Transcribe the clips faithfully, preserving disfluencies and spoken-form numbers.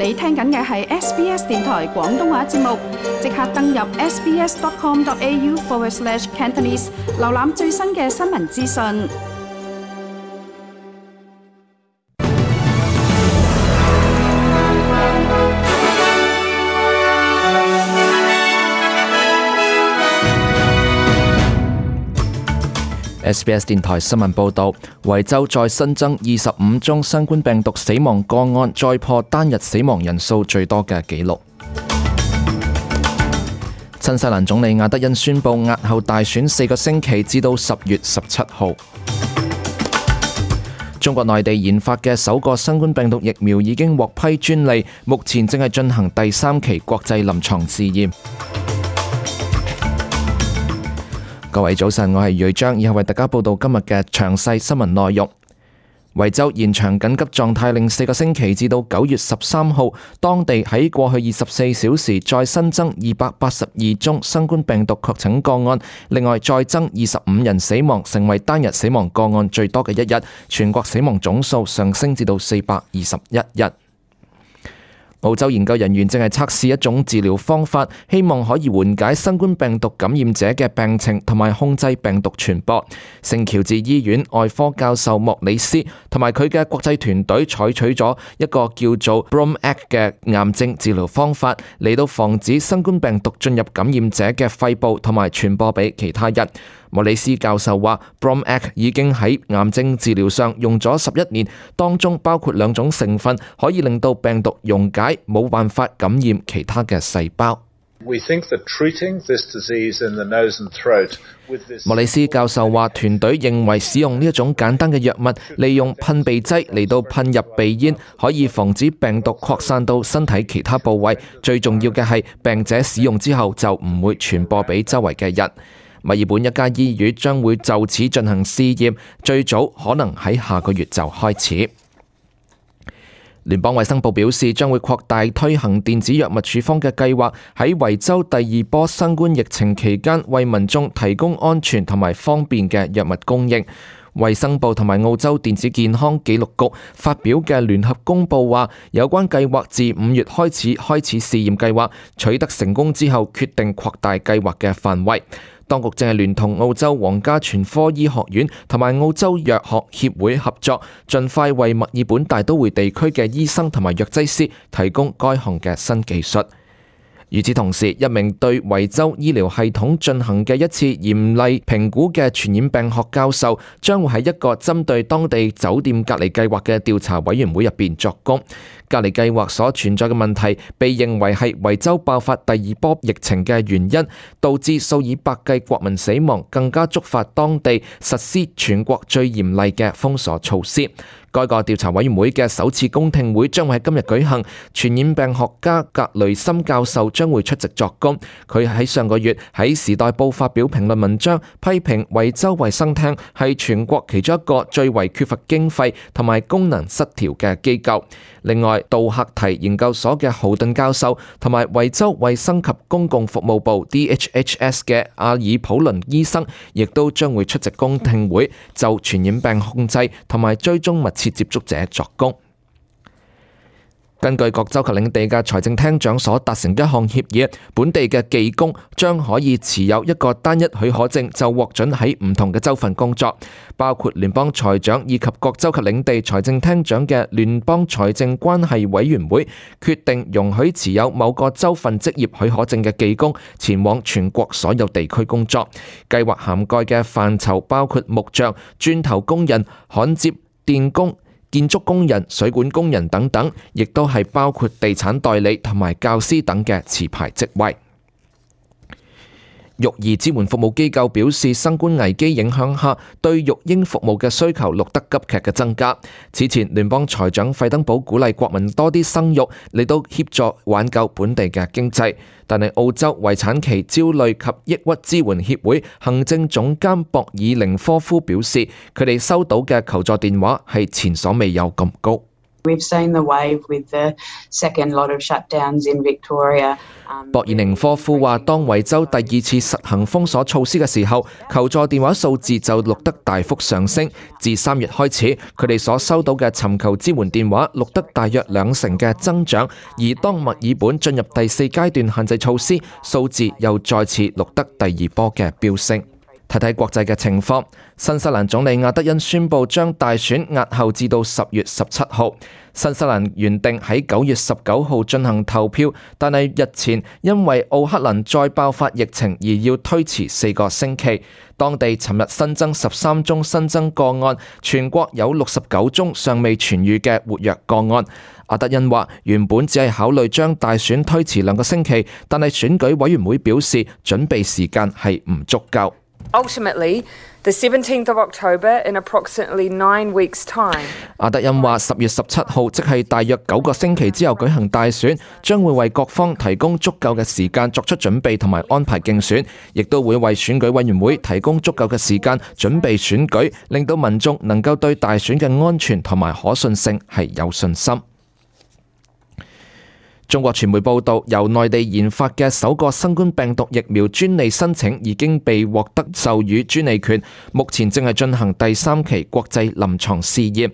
你聽緊嘅係 S B S 電台廣東話節目，即刻登入 sbs.com.au forward slash Cantonese， 瀏覽最新嘅新聞資訊。S B S 電台新聞報道，維州再新增二十五宗新冠病毒死亡個案，再破單日死亡人數最多嘅紀錄。新西蘭總理亞德恩宣布押後大選四個星期，至到十月十七號。中國內地研發嘅首個新冠病毒疫苗已經獲批專利，目前正係進行第三期國際臨床試驗。各位早晨，我係瑞章，以後為大家報道今日嘅詳細新聞內容。維州延長緊急狀態令四個星期，至到九月十三號。當地喺過去二十四小時再新增二百八十二宗新冠病毒確診個案，另外再增二十五人死亡，成為單日死亡個案最多嘅一日。全國死亡總數上升至到四百二十一日。澳洲研究人員正係測試一種治療方法，希望可以緩解新冠病毒感染者嘅病情同埋控制病毒傳播。聖喬治醫院外科教授莫里斯同埋佢嘅國際團隊採取咗一個叫做 B R O M A C 嘅癌症治療方法，嚟到防止新冠病毒進入感染者嘅肺部同埋傳播俾其他人。莫里斯教授話 B R O M A C 已經喺癌症治療上用咗十一年，當中包括兩種成分可以令到病毒溶解，冇辦法感染其他嘅細胞。莫里斯教授話，團隊認為使用呢一種簡單嘅藥物，利用噴鼻劑嚟到噴入鼻咽，可以防止病毒擴散到身體其他部位。最重要嘅係，病者使用之後就唔會傳播俾周圍嘅人。墨爾本一家醫院將會就此進行試驗，最早可能喺下個月就開始。聯邦衛生部表示，將會擴大推行電子藥物處方嘅計劃，喺維州第二波新冠疫情期間，為民眾提供安全同埋方便嘅藥物供應。衛生部同埋澳洲電子健康記錄局發表嘅聯合公佈話，有關計劃自五月開始開始試驗計劃，取得成功之後，決定擴大計劃嘅範圍。當局正係聯同澳洲皇家全科醫學院同埋澳洲藥學協會合作，盡快為墨爾本大都會地區嘅醫生同埋藥劑師提供該項嘅新技術。與此同時，一名對維州醫療系統進行嘅一次嚴厲評估嘅傳染病學教授，將會喺一個針對當地酒店隔離計劃嘅調查委員會入邊作供。隔離計劃所存在嘅問題，被認為係維州爆發第二波疫情嘅原因，導致數以百計國民死亡，更加觸發當地實施全國最嚴厲嘅封鎖措施。該個調查委員會嘅首次公聽會將會喺今日舉行，傳染病學家格雷森教授將會出席作供。佢喺上個月喺《時代報》發表評論文章，批評維州衛生廳係全國其中一個最為缺乏經費同埋功能失調嘅機構。另外，杜克提研究所嘅豪頓教授同埋維州衛生及公共服務部 D H H S 嘅阿爾普倫醫生，亦都將會出席公聽會，就傳染病控制同埋追蹤密切接觸者作供。根據各州及領地嘅財政廳長所達成一項協議，本地嘅技工將可以持有一個單一許可證就獲准喺唔同嘅州份工作，包括聯邦財長以及各州及領地財政廳長嘅聯邦財政關係委員會決定容許持有某個州份職業許可證嘅技工前往全國所有地區工作。計劃涵蓋嘅範疇包括木匠、磚頭工人、焊接、電工、建築工人、水管工人等等，亦都係包括地產代理同埋教師等嘅持牌職位。育兒支援服務機構表示，新冠危機影響下，對育嬰服務嘅需求錄得急劇嘅增加。此前，聯邦財長費登堡鼓勵國民多啲生育，嚟到協助挽救本地嘅經濟。但係澳洲遺產期焦慮及抑鬱支援協會行政總監博爾寧科夫表示，佢哋收到嘅求助電話係前所未有咁高。We've seen the wave with the second lot of shutdowns in Victoria. 博爾寧科夫話，當維州第二次實行封鎖措施嘅時候，求助電話數字就錄得大幅上升。自三月開始，佢哋所收到嘅尋求支援電話錄得大約兩成嘅增長，而當墨爾本進入第四階段限制措施，數字又再次錄得第二波嘅飆升。睇睇國際嘅情況，新西蘭總理亞德恩宣布將大選押後至到十月十七號。新西蘭原定喺九月十九號進行投票，但係日前因為奧克蘭再爆發疫情而要推遲四個星期。當地尋日新增十三宗新增個案，全國有六十九宗尚未痊癒嘅活躍個案。亞德恩話：原本只係考慮將大選推遲兩個星期，但係選舉委員會表示準備時間係唔足夠。Ultimately, the seventeenth of October in approximately nine weeks' time. 亞德恩話：十月十七號，即係大約九個星期之後舉行大選，將會為各方提供足夠嘅時間作出準備同埋安排競選，亦都會為選舉委員會提供足夠嘅時間準備選舉，令到民眾能夠對大選嘅安全同埋可信性係有信心。中國傳媒報道，由內地研發嘅首個新冠病毒疫苗專利申請已經被獲得授予專利權，目前正係進行第三期國際臨床試驗。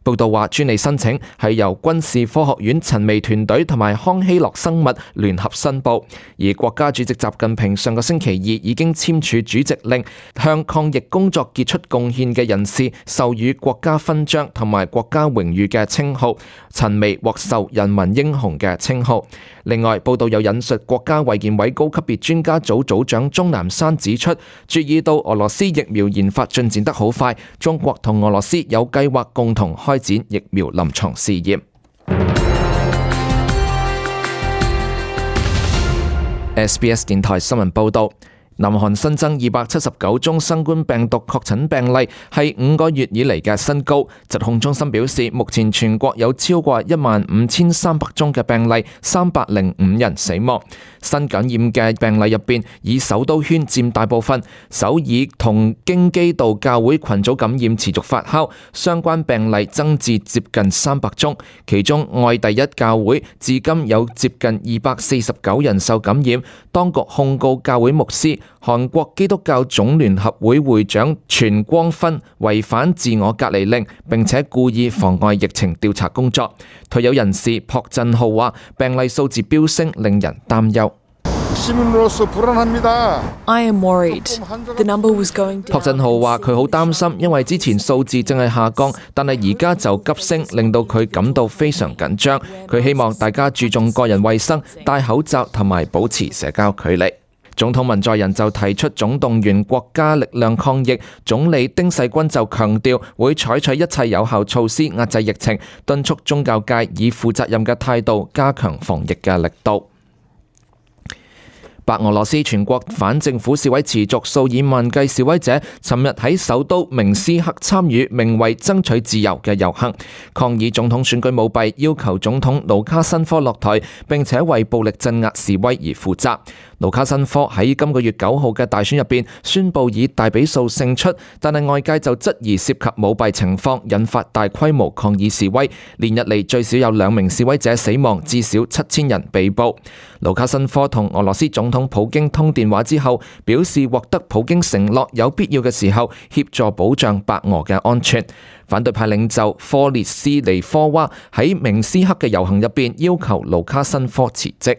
報道話，專利申請係由軍事科學院陳薇團隊同埋康希諾生物聯合申報，而國家主席習近平上個星期二已經簽署主席令，向抗疫工作傑出貢獻嘅人士授予國家勳章同埋國家榮譽嘅稱號，陳薇獲授人民英雄嘅稱號。另外，報道有引述國家衛健委高級別專家組組長鍾南山指出，注意到俄羅斯疫苗研發進展得好快，中國同俄羅斯有計劃共同開展疫苗臨床試驗。S B S 電台新聞報導。南韓新增二百七十九宗新冠病毒確診病例，係五個月以嚟嘅新高。疾控中心表示，目前全國有超過一萬五千三百宗嘅病例，三百零五人死亡。新感染嘅病例入邊，以首都圈佔大部分。首爾同京畿道教會群組感染持續發酵，相關病例增至接近三百宗。其中愛第一教會至今有接近二百四十九人受感染，當局控告教會牧師韓國基督教總聯合會會長全光勳違反自我隔離令，並且故意妨礙疫情調查工作。退休人士朴振浩話：病例數字飆升，令人擔憂。I am worried. The number was going down. 朴振浩話：佢好擔心，因為之前數字正係下降，但係而家就急升，令到佢感到非常緊張。佢希望大家注重個人衛生，戴口罩同埋保持社交距離。總統文在寅就提出總動員國家力量抗疫，總理丁世均就強調會採取一切有效措施壓制疫情，敦促宗教界以負責任嘅態度加強防疫嘅力度。白俄羅斯全國反政府示威持續，數以萬計示威者尋日喺首都明斯克參與名為爭取自由嘅遊行，抗議總統選舉舞弊，要求總統盧卡申科落台，並且為暴力鎮壓示威而負責。盧卡申科喺今個月九號嘅大選入邊宣布以大比數勝出，但係外界就質疑涉及舞弊情況，引發大規模抗議示威。連日嚟最少有兩名示威者死亡，至少七千人被捕。盧卡申科同俄羅斯總統普京通電話之後，表示獲得普京承諾有必要嘅時候協助保障白俄嘅安全。反對派領袖科列斯尼科娃喺明斯克嘅遊行入邊要求盧卡申科辭職。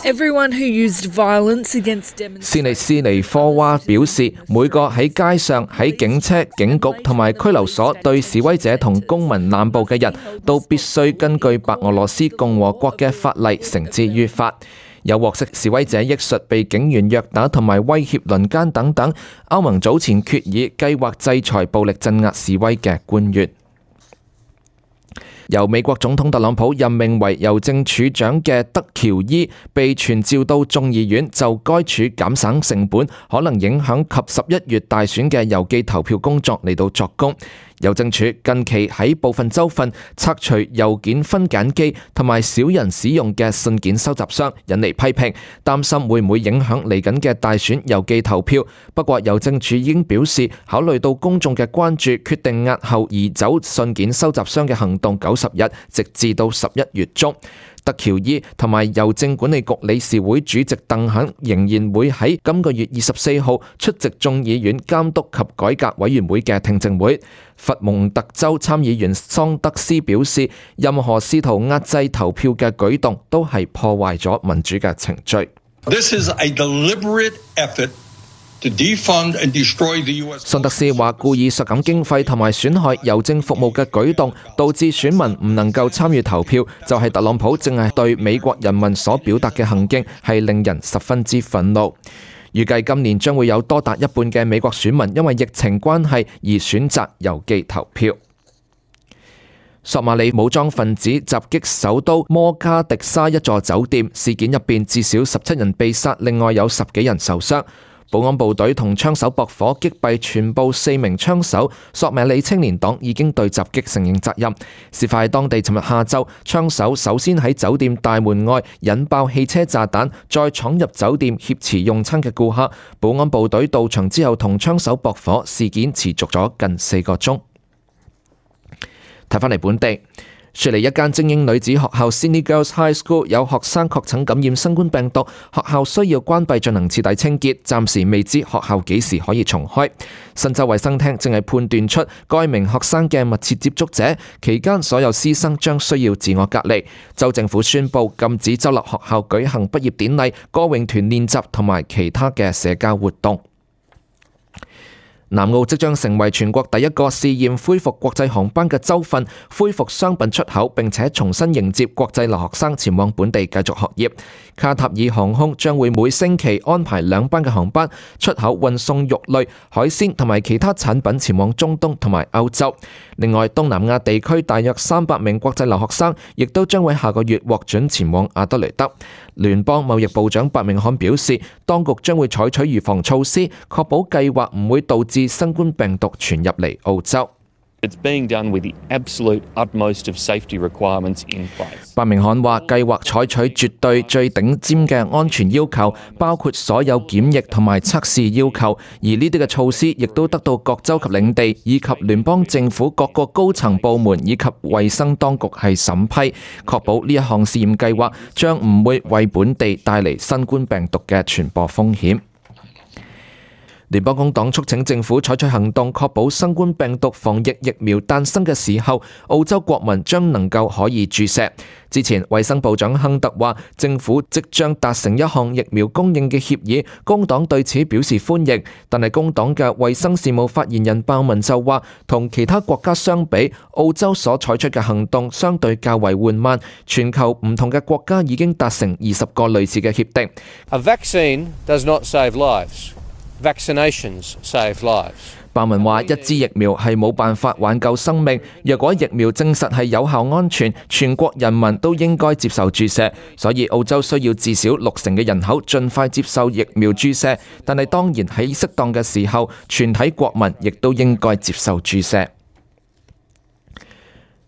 Everyone who used violence against demonstrators. 斯尼斯尼科娃表示，每個喺街上、喺警車、警局同埋拘留所對示威者同公民濫捕嘅人都必須根據白俄羅斯共和國嘅法例繩之於法。有獲悉示威者憶述被警員虐打同埋威脅輪姦等等。歐盟早前決議計劃制裁暴力鎮壓示威嘅官員。由美國總統特朗普任命為郵政署長嘅德喬伊被傳召到眾議院就該署減省成本，可能影響及十一月大選嘅郵寄投票工作嚟到作供。郵政署近期喺部分州份拆除郵件分揀機同埋少人使用嘅信件收集箱，引嚟批評，擔心會唔會影響嚟緊嘅大選郵寄投票。不過郵政署已經表示，考慮到公眾嘅關注，決定押後移走信件收集箱嘅行動九十日，直至到十一月中。德喬伊同埋郵政管理局理事會主席鄧肯仍然會喺今個月二十四號出席眾議院監督及改革委員會嘅聽證會。佛蒙特州參議員桑德斯表示，任何試圖壓制投票嘅舉動都係破壞咗民主嘅程序。This is a deliberate effort to defund and destroy the U S 桑德斯話，故意削減經費同埋損害郵政服務嘅舉動，導致選民唔能夠參與投票，就係特朗普正係對美國人民所表達嘅行徑，係令人十分之憤怒。預計今年將會有多達一半嘅美國選民因為疫情關係而選擇郵寄投票。索馬里武裝分子襲擊首都摩加迪沙一座酒店，事件入邊至少十七人被殺，另外有十幾人受傷。保安部隊同槍手駁火擊斃全部四名槍手，索馬里青年黨已經對襲擊承認責任。事發喺當地尋日下晝，槍手首先喺酒店大門外引爆汽車炸彈，再闖入酒店挾持用餐嘅顧客。保安部隊到場之後同槍手駁火，事件持續咗近四個鐘。睇返嚟本地，雪梨一間精英女子學校 Sydney Girls High School 有學生確診感染新冠病毒，學校需要關閉進行徹底清潔，暫時未知學校幾時可以重開。新州衛生廳正係判斷出該名學生嘅密切接觸者，期間所有師生將需要自我隔離。州政府宣布禁止州立學校舉行畢業典禮、歌詠團練習同埋其他嘅社交活動。南澳即將成為全國第一個試驗恢復國際航班嘅州份，恢復商品出口，並且重新迎接國際留學生前往本地繼續學業。卡塔爾航空將會每星期安排兩班嘅航班出口運送肉類、海鮮同埋其他產品前往中東同埋歐洲。另外，東南亞地區大約三百名國際留學生亦都將會下個月獲准前往阿德雷德。聯邦貿易部長白明漢表示，當局將會採取預防措施，確保計劃唔會導致新冠病毒傳入嚟澳洲。It's being done with the absolute utmost of safety requirements in place. 白明漢話，計劃採取絕對最頂尖嘅安全要求，包括所有檢疫同埋測試要求，而呢啲嘅措施亦都得到各州及領地以及聯邦政府各個高層部門以及衛生當局係審批，確保呢一項試驗計劃將唔會為本地帶嚟新冠病毒嘅傳播風險。聯邦工黨促請政府採取行動，確保新冠病毒防疫疫苗誕生嘅時候，澳洲國民將能夠可以注射。之前衛生部長亨特話，政府即將達成一項疫苗供應嘅協議，工黨對此表示歡迎。但係工黨嘅衛生事務發言人鮑文就話，同其他國家相比，澳洲所採取嘅行動相對較為緩慢。全球唔同嘅國家已經達成二十個類似嘅協定。A vaccine does not save lives.Vaccinations save lives. 鮑文話：一支疫苗係冇辦法挽救生命。若果疫苗證實係有效安全，全國人民都應該接受注射。所以澳洲需要至少六成嘅人口盡快接受疫苗注射。但係當然喺適當嘅時候，全體國民亦都應該接受注射。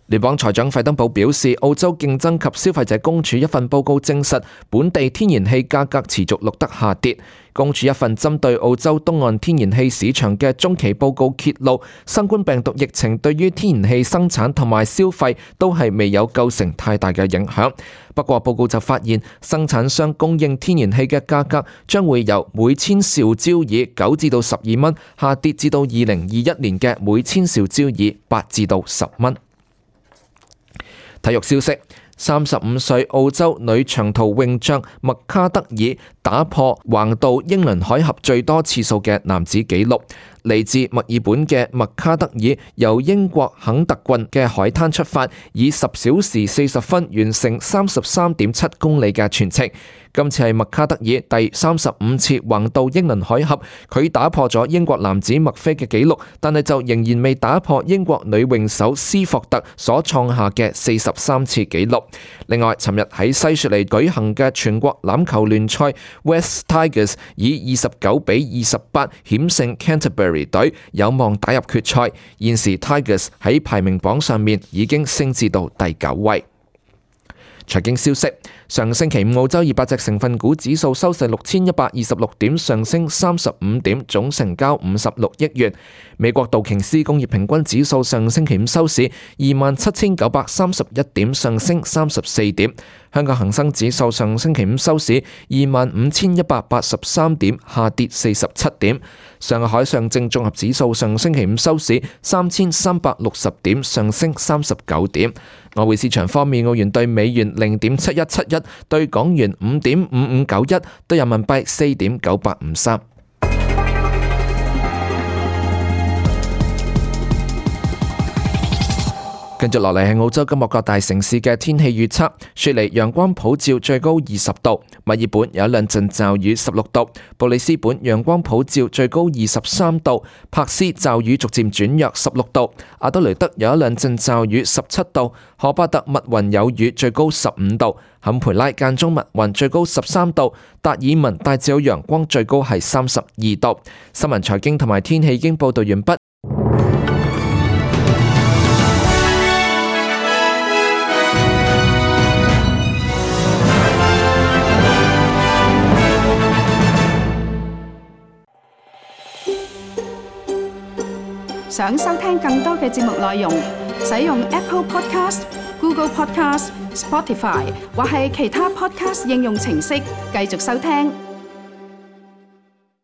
聯邦財長費登堡表示，澳洲競爭及消費者公署一份報告證實，本地天然氣價格持續錄得下跌。公署一份針對澳洲東岸天然氣市場嘅中期報告揭露，新冠病毒疫情對於天然氣生產同埋消費都係未有構成太大嘅影響。不過報告就發現，生產商供應天然氣嘅價格將會由每千兆焦耳九至到十二蚊，下跌至到二零二一年嘅每千兆焦耳八至到十蚊。體育消息，三十五歲澳洲女長途泳將麥卡德爾打破橫渡英倫海峽最多次數嘅男子紀錄。嚟自墨爾本嘅麥卡德爾由英國肯特郡嘅海灘出發，以十小時四十分完成三十三點七公里嘅全程。今次係麥卡德爾第三十五次橫渡英倫海峽，佢打破咗英國男子麥菲嘅紀錄，但係就仍然未打破英國女泳手斯霍特所創下嘅四十三次紀錄。另外，尋日喺西雪梨舉行嘅全國欖球聯賽 ，West Tigers 以二十九比二十八險勝 Canterbury。Calgary 隊有望打入決賽，現時 Tigers 喺排名榜上面已經升至到第九位。財經消息，上星期五澳洲二百隻成分股指數收市六千一百二十六點，上升三十五點，總成交五十六億元。美國道瓊斯工業平均指數上星期五收市二萬七千九百三十一點，上升三十四點。香港恒生指數上星期五收市二萬五千一百八十三點，下跌四十七點。上海上證綜合指數上星期五收市三千三百六十點，上升三十九點。外匯市場方面，澳元對美元零點七一七一，對港元五點五五九一，對人民幣四點九八五三。跟住落嚟係澳洲今日各大城市嘅天氣預測。雪梨陽光普照，最高二十度；墨爾本有一兩陣驟雨，十六度；布里斯本陽光普照，最高二十三度；珀斯驟雨逐漸轉弱，十六度；阿德雷德有一兩陣驟雨，十七度；荷巴特密雲有雨，最高十五度；坎培拉間中密雲，最高十三度；達爾文大致有陽光，最高係三十二度。新聞財經同埋天氣已經報道完畢。想收聽更多嘅節目內容，使用 Apple Podcast、Google Podcast、Spotify 或係其他 Podcast 應用程式繼續收聽。